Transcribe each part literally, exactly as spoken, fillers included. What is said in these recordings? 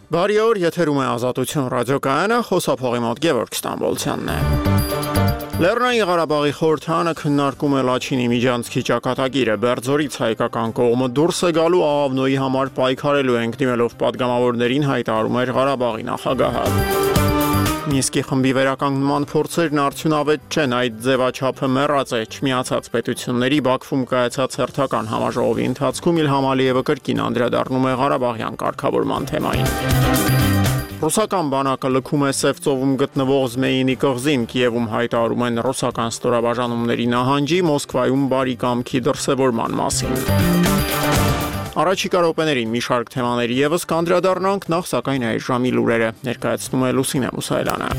Բարի օր, եթերում է Ազատություն ռադիոկայանը, խոսափողի մոտ Գևորգ Ստամբոլցյանն է։ Լեռնային Ղարաբաղի խորհրդարանը քննարկում է Լաչինի միջանցքի ճակատագիրը։ Բերձորից հայկական կողմը դուրս է գալու Աղավնոյի համար պայքարելու ենք դիմելով պատգամավորներին, հայտարարում էր Ղարաբաղի նախագահը։ Մինսկի խմբի վերականգնման փորձերն արդյունավետ չեն, այդ ձևաչափը մեռած է չմիացած պետությունների Բաքվում կայացած հերթական համաժողովի ընթացքում Իլհամ Ալիևը կրկին անդրադառնում է Ղարաբաղյան կարգավորման թեմային։ Ռուսական բանակը լքում է Սև ծովում գտնվող Զմեյինի կղզին, Կիևում հայտարարում են ռուսական ստորաբաժանումների նահանջի, Մոսկվայում բարի կամքի դրսևորման մասին։ Առաջիկա րոպեներին մի շարք թեմաների ևս կանդրադառնանք, նախ սակայն այս ժամի լուրերը ներկայացնում է Լուսինե Մուսայելյանը։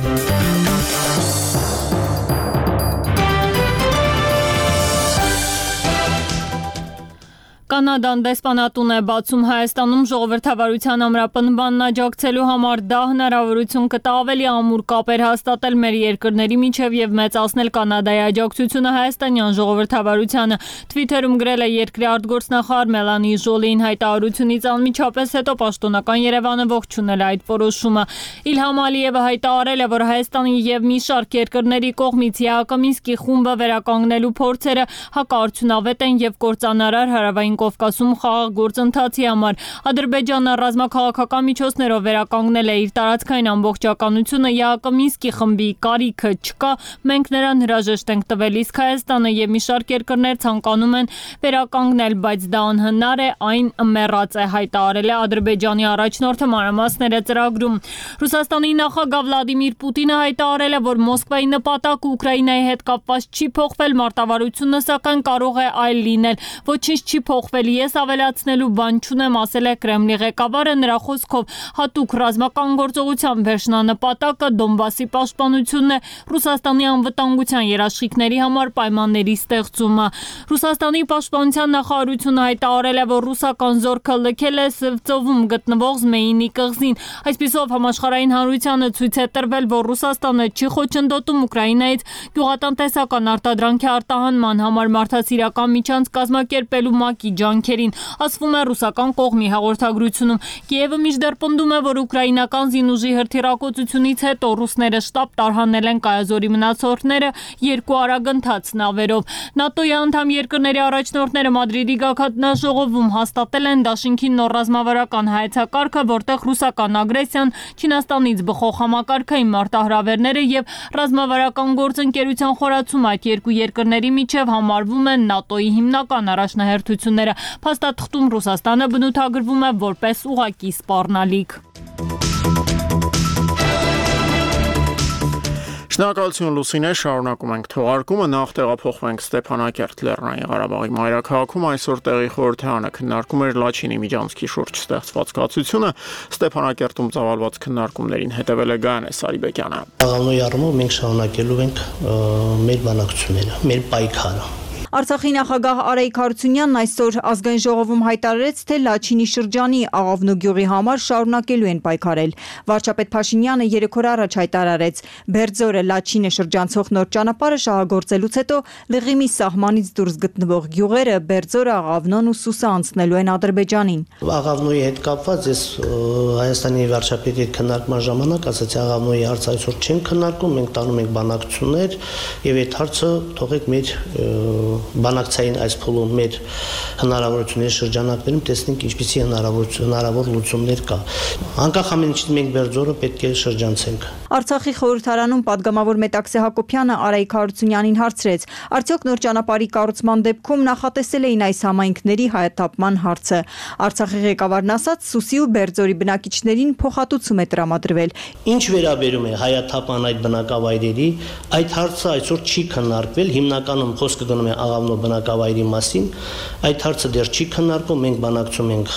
Կանադան դեսպանատուն է բացում Հայաստանում ժողովրդավարության ամրապնդմանն աջակցելու համար, դա հնարավորություն կտա ավելի ամուր կապեր հաստատել մեր երկրների միջև եւ մեծացնել Կանադայի աջակցությունը հայաստանյան ժողովրդավարությանը։ Թվիթերում գրել է երկրի արտգործնախարար Մելանի Ժոլին, հայտարարությունից անմիջապես հետո պաշտոնական Երևանը ողջունել այդ որոշումը։ Իլհամ Ալիևը հայտարարել է, որ Հայաստանի եւ մի շարք երկրների կողմից Յակոմինսկի խումբը վերականգնելու փորձերը հակարդյունավետ են եւ կործանարար հարավային Կովկասում խաղաղ գործընթացի համար։ Ադրբեջանը ռազմաքաղաքական միջոցներով վերականգնել է իր տարածքային ամբողջականությունը, Յակոմինսկի խմբի կարիքը չկա, մենք նրան հրաժեշտ ենք տվել, իսկ Հայաստանը եւ մի շարք երկրներ ցանկանում են վերականգնել, բայց դա անհնար է, այն մեռած է, հայտարարել է Ադրբեջանի առաջնորդը մանրամասները ծրագրում։ Ռուսաստանի նախագահ Վլադիմիր Պուտինը հայտարարել է, որ Մոսկվայի նպատակը Ուկրաինայի հետ կապված չի փոխվել, մարտավարությունը սակայն կարող է այլ լինել, ոչինչ չի փոխվել, ես ավելացնելու բան չունեմ, ասել է Կրեմլի ղեկավարը, նրա խոսքով հատուկ ռազմական գործողության վերջնանպատակը Դոնբասի պաշտպանությունն է, Ռուսաստանի անվտանգության երաշխիքների համար պայմանների ստեղծումը։ Ռուսաստանի պաշտպանության նախարարությունը հայտարարել է, որ ռուսական զորքը լքել է Սևծովում գտնվող Զմեյինի կղզին։ Այսպիսով համաշխարհային հանրությանը ցույց է տրվել, որ Ռուսաստանը չի խոչընդոտում Ուկրաինայից գյուղատնտեսական արտադրանքի արտահանման համար մարդասիրական միջանց կազմակերպելու ՄԱԿ-ի ջանքերին, ասվում է ռուսական կողմի հաղորդագրությունում։ Կիևը մինչդեռ պնդում է, որ ուկրաինական զինուժի հրթիռակոծությունից հետո ռուսները շտապ տարհանել են Կայազորի մնացորդները երկու արագընթաց նավերով։ ՆԱՏՕ-ի անդամ երկրների առաջնորդները Մադրիդի գագաթնաժողովում հաստատել են դաշինքի նոր ռազմավարական հայեցակարգը, որտեղ ռուսական ագրեսիան, Չինաստանից բխող համակարգային մարտահրավերները եւ ռազմավարական գործընկերության խորացումը այդ երկու երկրների միջև համարվում են ՆԱՏՕ-ի հիմնական առաջնահերթությունները։ Փաստաթղթում Ռուսաստանը բնութագրվում է որպես ուղղակի սպառնալիք։ Շնորհակալություն Լուսինե, շարունակում ենք թողարկումը, նախ տեղափոխվենք Ստեփանակերտ, Լեռնային Ղարաբաղի մայրաքաղաքում այսօր տեղի խորհրդարանը քննարկում էր Լաչինի միջանցքի շուրջ ստեղծված կացությունը, Ստեփանակերտում ծավալված քննարկումներին հետևել է Գայանե Սարիբեկյանը։ Աղավնոյի առումով մենք շարունակելու ենք մեր բանակցությունները, մեր պայքարը։ Արցախի նախագահ Արայիկ Հարությունյանն այսօր ազգային ժողովում հայտարարեց, թե Լաչինի շրջանի Աղավնո գյուղի համար շարունակելու են պայքարել։ Վարչապետ Փաշինյանը երեք օր առաջ հայտարարեց, Բերձորը Լաչինը շրջանցող նոր ճանապարհը շահագործելուց հետո Լղիմի սահմանից դուրս գտնվող գյուղերը Բերձորը, Աղավնոն ու Սուսը անցնելու են Ադրբեջանին։ Աղավնոյի հետ կապված ես Հայաստանի վարչապետի հետ քննարկման ժամանակ ասացի, Աղավնոյի հարցը այսօր չենք քննարկում, մենք տանում ենք բանակցություններ եւ այդ հարցը թողեք մեր բանակցային այս փուլում մեր հնարավորությունների շրջանակներում տեսնենք ինչպիսի հնարավորություն հնարավոր լուծումներ կա։ Անկախ ամեն ինչից մենք Բերձորը պետք է շրջանցենք։ Արցախի խորհրդարանում падգամավոր Մետաքսե Հակոբյանը Արայիկ Հարությունյանին հարցրեց. Արդյոք նոր ճանապարհի կառուցման դեպքում նախատեսել էին այս համայնքների հայաթափման հարցը։ Արցախի ղեկավարն ասաց, Սուսի ու Բերձորի բնակիչներին փոխհատուցում է տրամադրվել։ Ինչ վերաբերում է հայաթափման այդ բնակավայրերի, այդ հարցը այսօր չի քննարկվել, հիմնականում խոսքը գնում է Աղավնո բնակավայրի մասին, այդ հարցը դեռ չի քննարկվում, մենք բանակցում ենք,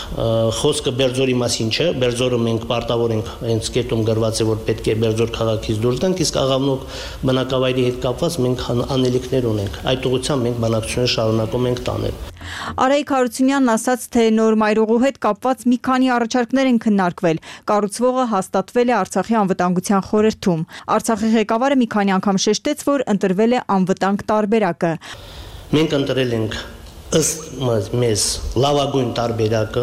խոսքը Բերձորի մասին չէ, Բերձորը մենք պարտավոր ենք, հենց կետում գրված է, որ պետք է Բերձոր քաղաքից դուրս գանք, իսկ Աղավնո բնակավայրի հետ կապված մենք անելիքներ ունենք, այդ ուղղությամբ մենք բանակցություններ շարունակում ենք տանել։ Արայիկ Հարությունյանն ասաց, թե նոր մայրուղու հետ կապված մի քանի առաջարկներ են քննարկվել, կառուցվողը հաստատվել է Արցախի անվտանգության խորհրդում։ Արցախի ղեկավարը մի քանի անգամ շեշտեց, որ ընտրվել է անվտանգ տարբերակը։ Մենք ընտրել ենք ըստ մեզ լավագույն տարբերակը։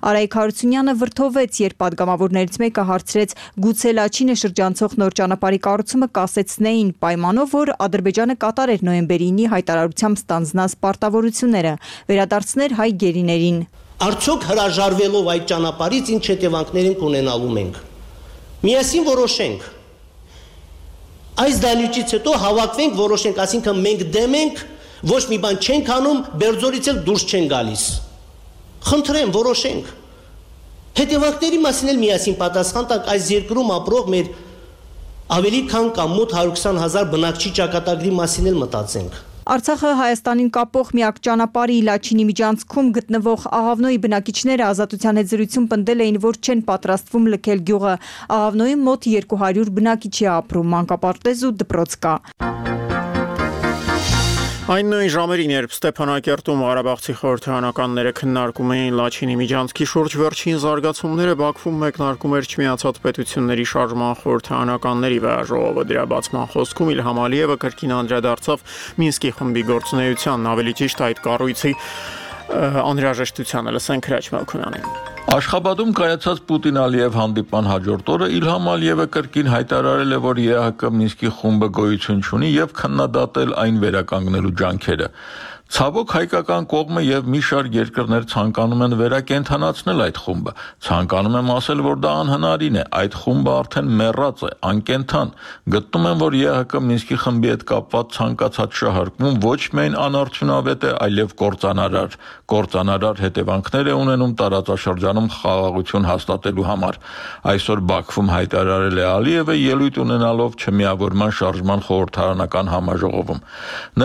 Արայք Հարությունյանը վրդովեց, երբ падգամավորներից մեկը հարցրեց գուցե Լաչինը շրջանցող նոր ճանապարհի կառուցումը կասեցնեին պայմանով, որ Ադրբեջանը կատարեր նոյեմբերի ինի հայտարարությամբ ստանձնած պարտավորությունները, վերադարձներ հայ գերիներին։ Արդյոք հրաժարվելով այդ ճանապարհից ինչ հետևանքներ կունենալու մենք։ Միասին որոշենք։ Այս դահլիճից հետո հավաքվենք, որոշենք, ասինքն մենք դեմ ենք, ոչ մի բան չենք անում, Բերձորից էլ դուրս չեն գալիս։ Խնդրեմ, որոշենք։ Հետևանքների մասին էլ միասին պատասխան տանք այս երկրում ապրող մեր ավելի քան կամ մոտ հարյուր քսան հազար բնակչի ճակատագրի մասին էլ մտածենք։ Արցախը Հայաստանին կապող միակ ճանապարհի Լաչինի միջանցքում գտնվող Աղավնոյի բնակիչները Ազատության հետ զրույցում պնդել էին, որ չեն պատրաստվում լքել գյուղը։ Աղավնոյի մոտ երկու հարյուր բնակիչ է ապրում, մանկապարտեզ ու դպրոց կա։ Այն նույն ժամերին, երբ Ստեփանակերտում Ղարաբաղցի խորհրդարանականները քննարկում էին Լաչինի միջանցքի շուրջ վերջին զարգացումները, Բաքվում մեկնարկում էր Չմիացած պետությունների շարժման խորհրդարանականների վեաժողովը։ Դրա բացման խոսքում Իլհամ Ալիևը կրկին անդրադարձավ Մինսկի խմբի գործունեությանն, ավելի ճիշտ այդ կառույցի անհրաժեշտությանը։ Լսենք Հրաչ Մալքոյանին։ Աշխաբադում կայացած Պուտին-Ալիև հանդիպման հաջորդ օրը Իլհամ Ալիևը կրկին հայտարարել է, որ ԵԱՀԿ Մինսկի խումբը գոյություն չունի եւ քննադատել այն վերականգնելու ջանքերը։ Ցավոք հայկական կողմը եւ մի շարք երկրներ ցանկանում են վերակենդանացնել այդ խումբը։ Ցանկանում եմ ասել, որ դա անհնարին է։ Այդ խումբը արդեն մեռած է, անկենդան։ Գտնում եմ, որ ԵԱՀԿ Մինսկի խմբի հետ կապված ցանկացած շահարկում ոչ միայն անարդյունավետ է, այլև կործանարար։ Կործանարար հետևանքներ է ունենում տարածաշրջանում խաղաղություն հաստատելու համար։ Այսօր Բաքվում հայտարարել է Ալիևը ելույթ ունենալով Չմիավորման շարժման խորհրդարանական համաժողովում։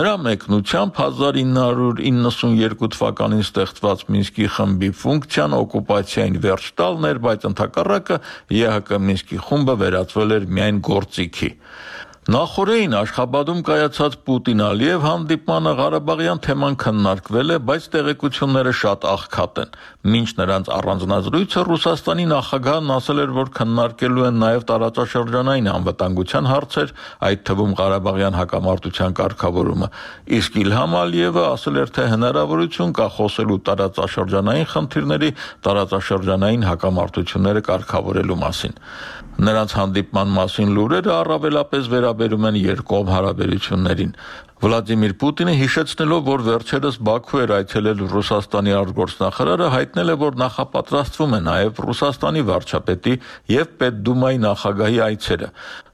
Նրա մեկնությամբ հազար ինը հարյուր իննսունյերկու թվականին ստեղծված Մինսկի խմբի ֆունկցիան օկուպացիային վերջ տալն էր, բայց ընդհակառակը ԵԱՀԿ Մինսկի խումբը վերածվել էր միայն գործիքի։ Նախորդին Աշխաբադում կայացած Պուտին-Ալիև հանդիպմանը Ղարաբաղյան թեման քննարկվել է, բայց տեղեկությունները շատ աղքատ են։ Մինչ նրանց առանձնազրույցը Ռուսաստանի նախագահն ասել էր, որ քննարկելու են նաև տարածաշրջանային անվտանգության հարցեր, այդ թվում Ղարաբաղյան հակամարտության կարգավորումը։ Իսկ Իլհամ Ալիևը ասել էր, թե հնարավորություն կա խոսելու տարածաշրջանային խնդիրների, տարածաշրջանային հակամարտությունները կարգավորելու մասին։ Նրանց հանդիպման մասին լուրերը առավելապես վերաբերում են երկկողմ հարաբերություններին։ Վլադիմիր Պուտինը հիշեցնելով, որ վերջերս Բաքու էր այցելել Ռուսաստանի արտգործնախարարը, հայտնել է, որ նախապատրաստվում է նաև Ռուսաստանի վարչապետի եւ Պետդումայի նախագահի այցերը։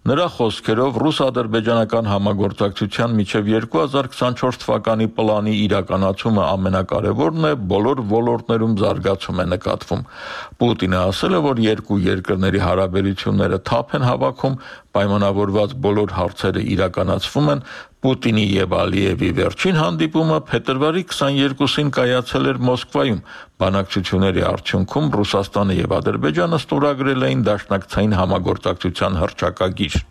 Նրա խոսքերով ռուս-ադրբեջանական համագործակցության մինչև երկու հազար քսանչորս թվականի պլանի իրականացումը ամենակարևորն է, բոլոր ոլորտներում զարգացում է նկատվում։ Պուտինը ասել է, որ երկու երկրների հարաբերությունները թափ են հավաքում, պայմանավորված բոլոր հարցերը իրականացվում են։ Պուտինի եւ Ալիևի վերջին հանդիպումը փետրվարի քսաներկուսին կայացել էր Մոսկվայում։ Բանակցությունների արդյունքում Ռուսաստանը եւ Ադրբեջանը ստորագրել էին դաշնակցային համագործակցության հռչակագիր։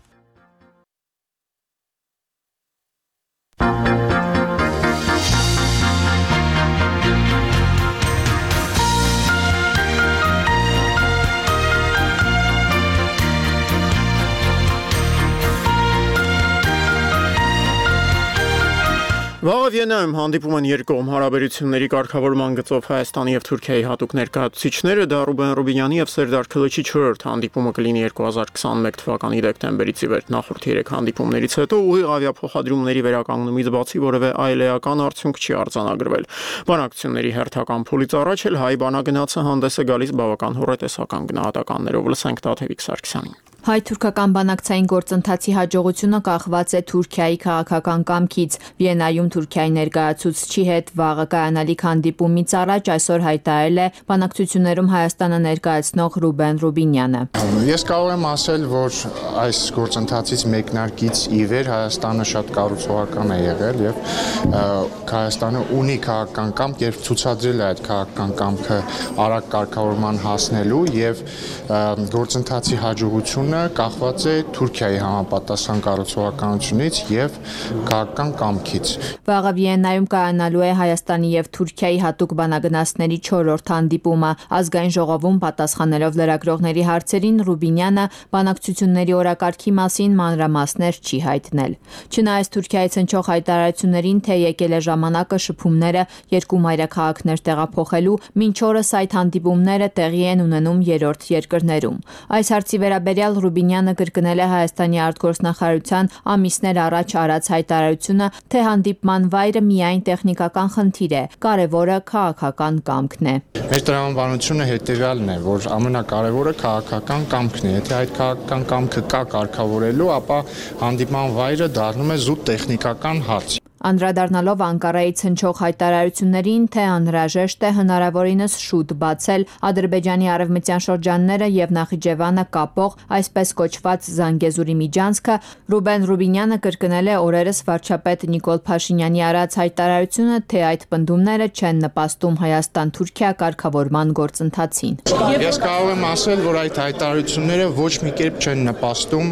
Վաղը Վիեննայում հանդիպում են երկկողմ հարաբերությունների կարգավորման գծով Հայաստանի եւ Թուրքիայի հատուկ ներկայացուցիչները, դա Ռուբեն Ռուբինյանի եւ Սերդար Քլիչի չորրորդ հանդիպումը կլինի երկու հազար քսանմեկ թվականի դեկտեմբերից ի վեր։ Նախորդ երեք հանդիպումներից հետո ուղիղ ավիափոխադրումների վերականգնումից բացի որևէ այլ էական արդյունք չի արձանագրվել։ Բանակցությունների հերթական փուլից առաջ էլ հայ բանագնացը հանդես է գալիս բավական հոռետեսական գնահատականներով։ Լսենք Տաթևիկ Սարգսյանին։ Հայ-թուրքական բանակցային գործընթացի հաջողությունը կախված է Թուրքիայի քաղաքական կամքից։ Վիեննայում Թուրքիայի ներկայացուցչի հետ վաղը կայանալիք հանդիպումից առաջ այսօր հայտարարել է բանակցություններում Հայաստանը ներկայացնող Ռուբեն Ռուբինյանը։ Ես կարող եմ ասել, որ այս գործընթացից մեկնարկից ի վեր Հայաստանը շատ կառուցողական է եղել եւ Հայաստանը ունի քաղաքական կամք, երբ ցուցադրել է այդ քաղաքական կամքը արագ կարգավորման հասնելու եւ գործընթացի հաջողությունը կախված է Թուրքիայի համապատասխան կառուցողականությունից եւ քաղաքական կամքից։ Վաղը Վիեննայում կայանալու է Հայաստանի եւ Թուրքիայի հատուկ բանագնացների չորրորդ հանդիպումը։ Ազգային ժողովում պատասխանելով լրագրողների հարցերին Ռուբինյանը բանակցությունների օրակարգի մասին մանրամասներ չի հայտնել։ Չնայած Թուրքիայից հնչող հայտարարություններին, թե եկել է ժամանակը շփումները երկու մայրաքաղաքներ տեղափոխելու, մինչ օրս այդ հանդիպումները տեղի են ունենում երրորդ երկրներում։ Այս հարցի վերաբերյալ Ռուբինյանը կրկնել է Հայաստանի արտգործնախարարության ամիսներ առաջ արած հայտարարությունը, թե հանդիպման վայրը միայն տեխնիկական խնդիր է, կարևորը քաղաքական կամքն է։ Մեր տրամաբանությունը հետևյալն է, որ ամենակարևորը քաղաքական կամքն է։ Եթե այդ քաղաքական կամքը կա կարգավորելու, ապա հանդիպման վայրը դառնում է զուտ տեխնիկական հարց։ Անդրադառնալով Անկարայից հնչող հայտարարություններին, թե անհրաժեշտ է հնարավորինս շուտ բացել Ադրբեջանի արևմտյան շրջանները եւ Նախիջևանը կապող այսպես կոչված Զանգեզուրի միջանցքը, Ռուբեն Ռուբինյանը կրկնել է օրերս վարչապետ Նիկոլ Փաշինյանի արած հայտարարությունը, թե այդ պնդումները չեն նպաստում Հայաստան-Թուրքիա կարգավորման գործընթացին։ Ես կարող եմ ասել, որ այդ հայտարարությունները ոչ մի կերպ չեն նպաստում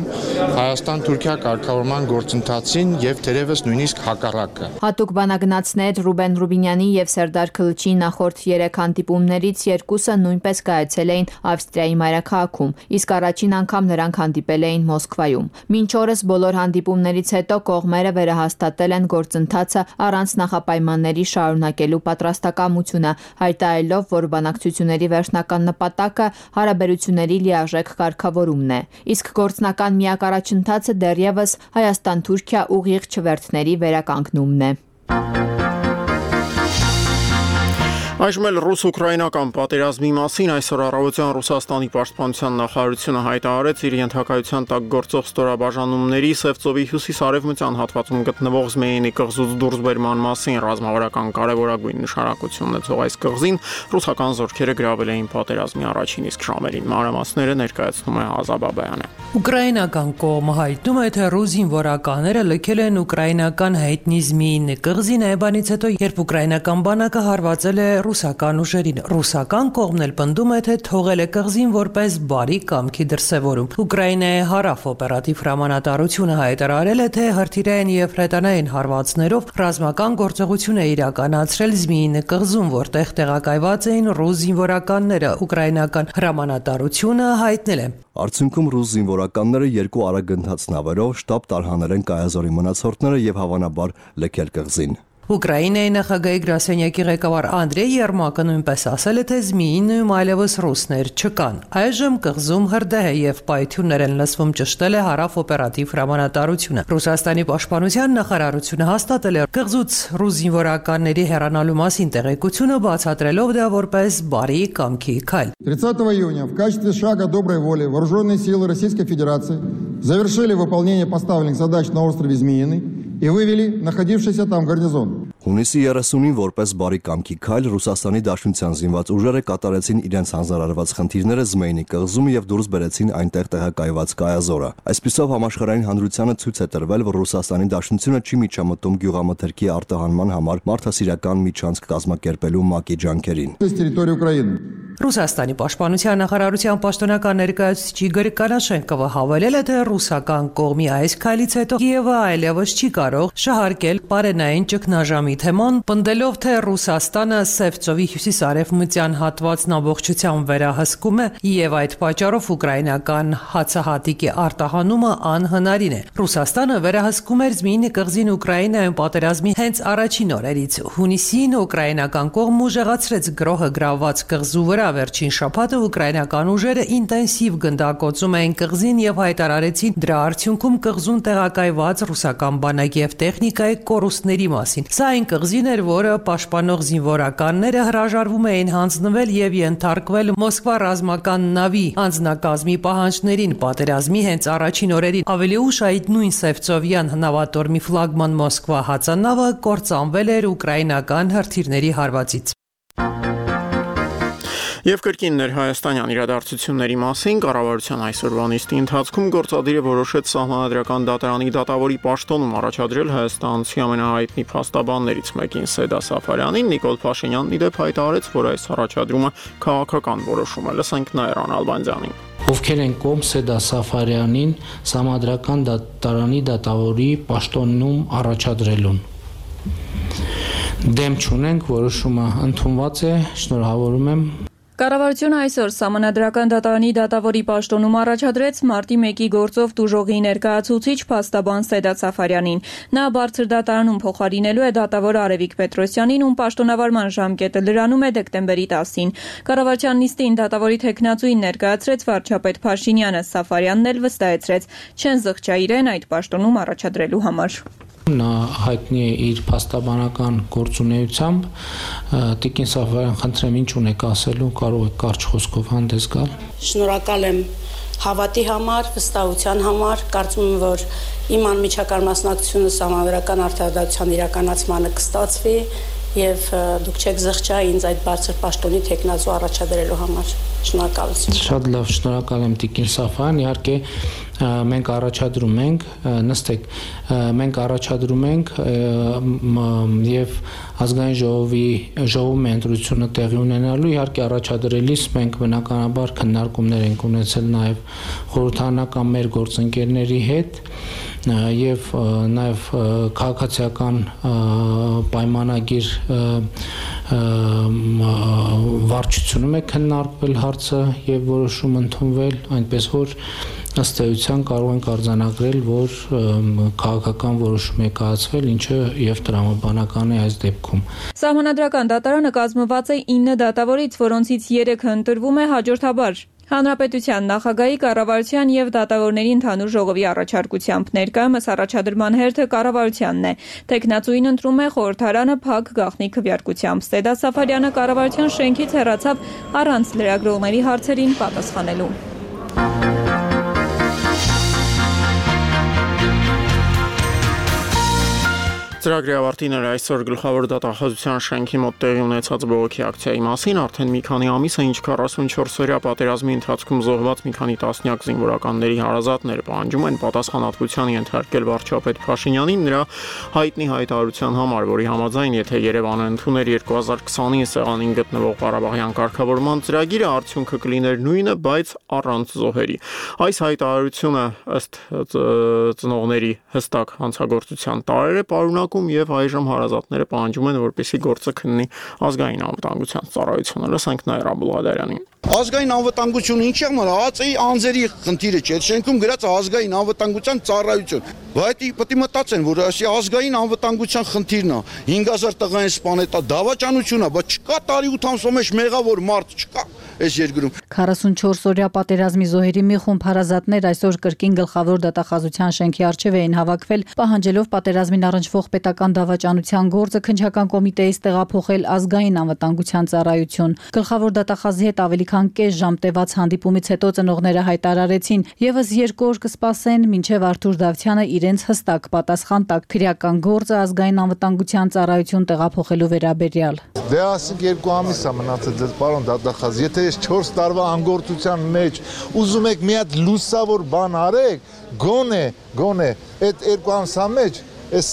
Հայաստան-Թուրքիա կարգավորման գործընթացին եւ թերևս նույնիսկ հակառակը։ Հատուկ բանագնացներ Ռուբեն Ռուբինյանի եւ Սերդար Քլչի նախորդ երեք հանդիպումներից երկուսը նույնպես կայացել էին Ավստրիայի մայրաքաղաքում, իսկ առաջին անգամ նրանք հանդիպել էին Մոսկվայում։ Մինչ օրս բոլոր հանդիպումներից հետո կողմերը վերահաստատել են գործընթացը առանց նախապայմանների շարունակելու պատրաստակամությունը, հայտարարելով, որ բանակցությունների վերջնական նպատակը հարաբերությունների լիարժեք կարգավորումն է։ Իսկ գործնական միակ առաջընթացը դեռևս Հայաստան-Թուրքիա ուղիղ չվերթների վերականգնումն է։ Այժմ էլ ռուս-ուկրաինական պատերազմի մասին այսօր առավոտյան Ռուսաստանի պաշտպանության նախարարությունը հայտարարեց իր ենթակայության տակ գործող ստորաբաժանումների Սևծովի հյուսիս-արևմտյան հատվածում գտնվող Զմեյինի կղզուց դուրսբերման մասին ռազմավարական կարևորագույն նշանակություն ունեցող այս կղզին ռուսական զորքերը գրավել էին պատերազմի առաջին իսկ ժամերին։ Մանրամասները ներկայացնում է Ազա Բաբայանը։ Ուկրաինական կողմը հայտնում է, թե ռուս զինվորականները լքել են ուկրաինական հայտնի Զմեյինի կղզին այբանից հետո, երբ ուկրաինական բանակը հարվածել է ռուսական ուժերին։ Ռուսական կողմն էլ պնդում է, թե թողել է կղզին որպես բարի կամքի դրսևորում։ Ուկրաինայի հարավ օպերատիվ հրամանատարությունը հայտարարել է, թե հրթիռային եւ հրետանային հարվածներով ռազմական գործողություն է իրականացրել Զմեյինի կղզում, որտեղ տեղակայված էին ռուս զինվորականները։ Ուկրաինական հրամանատարությունը հայտնել է. Արդյունքում ռուս զինվորականները երկու արագընթաց նավերով շտաբ տարհանել են կայազորի մնացորդները եւ հավանաբար լքել կղզին։ Ուկրաինայի նախագահի գրասենյակի ղեկավար Անդրեյ Երմակը նույնպես ասել է, թե Զմեյինում այլևս ռուսներ չկան։ Այժմ կղզում հրդեհ է եւ պայթյուններ են լսվում, ճշտել է հարավ օպերատիվ հրամանատարությունը։ Ռուսաստանի պաշտպանության նախարարությունը հաստատել է կղզուց ռուս զինվորականների հեռանալու մասին տեղեկությունը, բացատրելով դա որպես բարի կամքի քայլ։ тридцатого июня в качестве шага доброй воли вооруженные силы Российской Федерации завершили выполнение поставленных задач на острове Змеиный и вывели находившийся там гарнизон. Հունիսի երեսունին որպես բարի կամքի քայլ Ռուսաստանի Դաշնության զինված ուժերը կատարեցին իրենց հանձնարարված խնդիրները Զմեյինի կղզում եւ դուրս բերեցին այնտեղ տեղակայված կայազորը։ Այսպիսով համաշխարհային հանրությանը ցույց է տրվել, որ Ռուսաստանի Դաշնությունը չի միջամտում գյուղամթերքի արտահանման համար մարդասիրական միջանցք կազմակերպելու ՄԱԿ-ի ջանքերին։ Ռուսաստանի պաշտպանության նախարարության պաշտոնական ներկայացուցիչ Իգոր Կանաշենկովը հավելել է, թե ռուսական կողմի այս քայլից հետո Կիևը այլևս չի կարող շահարկել պարենային ճգնաժամի թեման, պնդելով, թե Ռուսաստանը Սևծովի հյուսիս-արևմտյան հատվածն ամբողջությամբ վերահսկում է եւ այդ պատճառով ուկրաինական հացահատիկի արտահանումը անհնարին է։ Ռուսաստանը վերահսկում էր Զմեյինի կղզին Ուկրաինայում պատերազմի հենց առաջին օրերից։ Հունիսին ուկրաինական կողմը ուժեղացրեց գրոհը գրավված կղզու վրա։ Վերջին շաբաթը ուկրաինական ուժերը ինտենսիվ գնդակոծում էին կղզին եւ հայտարարեցին դրա արդյունքում կղզում տեղակայված ռուսական բանակի եւ տեխնիկայի կորուստների մասին։ Սա այն կղզին էր, որը պաշտպանող զինվորականները հրաժարվում էին հանձնվել եւ ենթարկվել Մոսկվա ռազմական նավի անձնակազմի պահանջներին պատերազմի հենց առաջին օրերին։ Ավելի ուշ այդ նույն Սևծովյան նավատորմի ֆլագման Մոսկվա հածանավը կործանվել էր ուկրաինական հրթիռների հարվածից։ Եվ կրկին ներհայաստանյան իրադարձությունների մասին կառավարության այսօրվա նիստի ընթացքում գործադիրը որոշեց Սահմանադրական դատարանի դատավորի պաշտոնում առաջադրել հայաստանցի ամենահայտնի փաստաբաններից մեկին Սեդա Սաֆարյանին։ Նիկոլ Փաշինյանն իդեպ հայտարարեց, որ այս առաջադրումը քաղաքական որոշում է։ Լսենք Նաիրան Ալբանդյանին։ Ովքեր են կողմ Սեդա Սաֆարյանին Սահմանադրական դատարանի դատավորի պաշտոնում առաջադրելուն։ դեմ չունենք, որոշումը ընդունված է, շնորհավորում եմ։ Կառավարությունը այսօր Սահմանադրական դատարանի դատավորի պաշտոնում առաջադրեց մարտի մեկի գործով տուժողի ներկայացուցիչ փաստաբան Սեդա Սաֆարյանին։ Նա բարձր դատարանում փոխարինելու է դատավոր Արևիկ Պետրոսյանին, ում պաշտոնավարման ժամկետը լրանում է դեկտեմբերի տասին։ Կառավարության նիստին դատավորի թեկնածուին ներկայացրեց վարչապետ Փաշինյանը, Սաֆարյանն էլ վստահեցրեց, չեն զղջա իրեն այդ պաշտոնում առաջադրելու համար։ Նա հայտնի է իր փաստաբանական գործունեությամբ, Տիկին Սաֆարյան, խնդրեմ, ինչ ունեք ասելու, կարող եք կարճ խոսքով հանդես գալ։ Շնորհակալ եմ հավատի համար, վստահության համար, կարծում եմ, որ իմ անմիջական մասնակցությունը Սահմանադրական արդարադատության իրականացմանը կստացվի եւ դուք չեք զղջա ինձ այդ բարձր պաշտոնի թեկնածու առաջադրելու համար։ Շնորհակալություն։ Շատ լավ, շնորհակալ եմ Տիկին Սաֆարյան, իհարկե մենք առաջադրում ենք, նստեք, մենք առաջադրում ենք եւ ազգային ժողովի ժողովում ընտրությունը տեղի ունենալու, իհարկե առաջադրելիս մենք բնականաբար քննարկումներ ենք ունեցել նաեւ խորհրդարանական մեր գործընկերների հետ եւ նաեւ քաղաքացիական պայմանագիր վարչությունում է քննարկվել հարցը եւ որոշում ընդունվել, այնպես որ ըստ էության կարող ենք արձանագրել, որ քաղաքական որոշում է կայացվել, ինչը եւ տրամաբանական է այս դեպքում։ Սահմանադրական դատարանը կազմված է ինը դատավորից, որոնցից երեքը ընտրվում է հաջորդաբար։ Հանրապետության նախագահի, կառավարության եւ դատավորների ընդհանուր ժողովի առաջարկությամբ ներկայումս առաջադրման հերթը կառավարությանն է։ Տեխնացուին ընտրում է խորհրդարանը փակ գաղտնի քվեարկությամբ։ Սեդա Սաֆարյանը կառավարության շենքից հեռացավ առանց լրագրողների հարցերին պատասխանելու։ Ծրագրի ավարտին էր այսօր գլխավոր դատախազության շենքի մոտ տեղի ունեցած բողոքի ակցիայի մասին, արդեն մի քանի ամիս է, ինչ քառասունչորս-օրյա պատերազմի ընթացքում զոհված մի քանի տասնյակ զինվորականների հարազատները պահանջում են պատասխանատվության ենթարկել վարչապետ Փաշինյանին նրա հայտնի հայտարարության համար, որի համաձայն, եթե Երևանը ընդուներ երկու հազար քսանինը սեղանին գտնվող Ղարաբաղյան կարգավորման ծրագիրը, արդյունքը կլիներ նույնը, բայց առանց զոհերի։ Այս հայտարարությունը ըստ ծնողների հստակ հանցագործության տարեր է պարունակում եւ այժմ հարազատները պահանջում են, որպեսզի գործը քննի ազգային անվտանգության ծառայությունը։ Լսենք Նաիրա Բուլղադարյանին։ Ազգային անվտանգությունը ինչի՞ համար ԱԱԾ-ի անձերի խնդիրը չէ, շենքում գրած ազգային անվտանգության ծառայություն։ Բայց պետք է մտածեն, որ ասի ազգային անվտանգության խնդիրն է, հինգ հազար տղային սպանետա դավաճանությունն է, բայց չկա տարի ութ ամսո մեջ մեղավոր մարդ չկա այս երկրում։ քառասունչորս-օրյա պատերազմի զոհերի մի խումբ հարազատներ այսօր կրկին գլխավոր դատախազության շենքի առջև էին հավաքվել, պահանջելով պատերազմին առնչվող պետական դավաճանության գործը քննչական կոմիտեից տեղափոխել ազգային անվտանգության ծառայություն։ Գլխավոր դատախազի հետ ավելի քան կես ժամ տևած հանդիպումից հետո ծնողները հայտարարեցին, եւս երկու օր կսպասեն, մինչեւ Արթուր Դավթյանը իրենց հստակ պատասխան տա քրեական գործը ազգային անվտանգության ծառայություն տեղափոխելու վերաբերյալ։ Դե ասենք երկու ամիս է մնացել ձեզ պարոն դատախազ, եթե ես չորս տարվա անգործության մեջ ուզում եք մի հատ լուսավոր բան արեք, գոնե, գոնե այդ երկու ամսա մեջ այս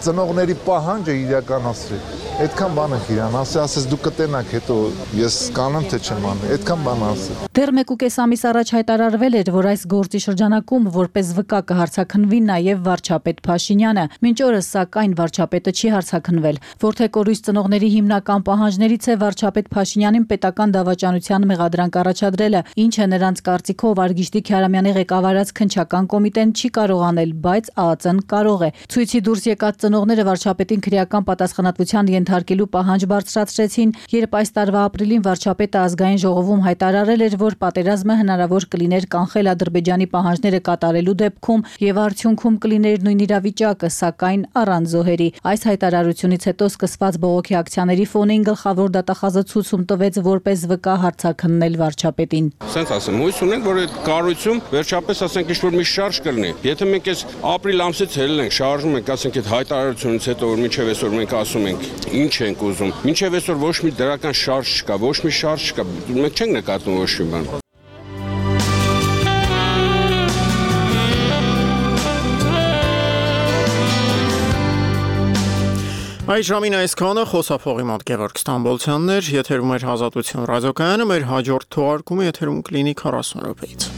ծնողների պահանջը իրականացրի։ Այդքան բան եք իրան ասի, ասես դու կտենաք հետո ես կանեմ թե չեմ անի, այդքան բան ասի։ Դեռ մեկ ու կես ամիս առաջ հայտարարվել էր, որ այս գործի շրջանակում որպես վկա կհարցաքննվի նաև վարչապետ Փաշինյանը։ Մինչ օրս սակայն վարչապետը չի հարցաքննվել, որթե կորույս ծնողների հիմնական պահանջներից է վարչապետ Փաշինյանին պետական դավաճանության մեղադրանք առաջադրելը, ինչը նրանց կարծիքով Արգիշտի Քյարամյանի ղեկավարած քննչական կոմիտեն չի կարող անել, բայց ԱԱԾ-ն կարող է։ Ցույցի դուրս եկած ծնողները վարչապետին քրեական պատասխանատվության ենթարկելու պահանջ բարձրացրեցին, երբ այս տարվա ապրիլին վարչապետը ազգային ժողովում հայտարարել էր, որ պատերազմը հնարավոր կլիներ կանխել Ադրբեջանի պահանջները կատարելու դեպքում եւ արդյունքում կլիներ նույն իրավիճակը, սակայն առանց զոհերի։ Այս հայտարարությունից հետո սկսված բողոքի ակցիաների ֆոնին գլխավոր դատախազը ցույցում տվեց որպես վկա հարցաքննել վարչապետին։ Սենց ասեմ, հույս ունենք, որ այդ կառույցում վերջապես ասենք ինչ-որ մի շարժ կլինի։ Եթե մենք այս ապրիլ ամսից հելել ենք, շարժում ենք, ասենք այդ հայտարարությունից հետո որ մինչև այսօր մենք ասում ենք ինչ ենք ուզում։ Մինչև այսօր ոչ մի դրական շարժ չկա, ոչ մի շարժ չկա։ Մենք չենք նկատում ոչ մի բան։ Այս ժամին այսքանը խոսափողի մոտ Գևորգ Ստամբոլցյանն էր, եթերում էր Ազատություն ռադիոկայանը, մեր հաջորդ թողարկումը եթերում կլինի քառասուն րոպեից։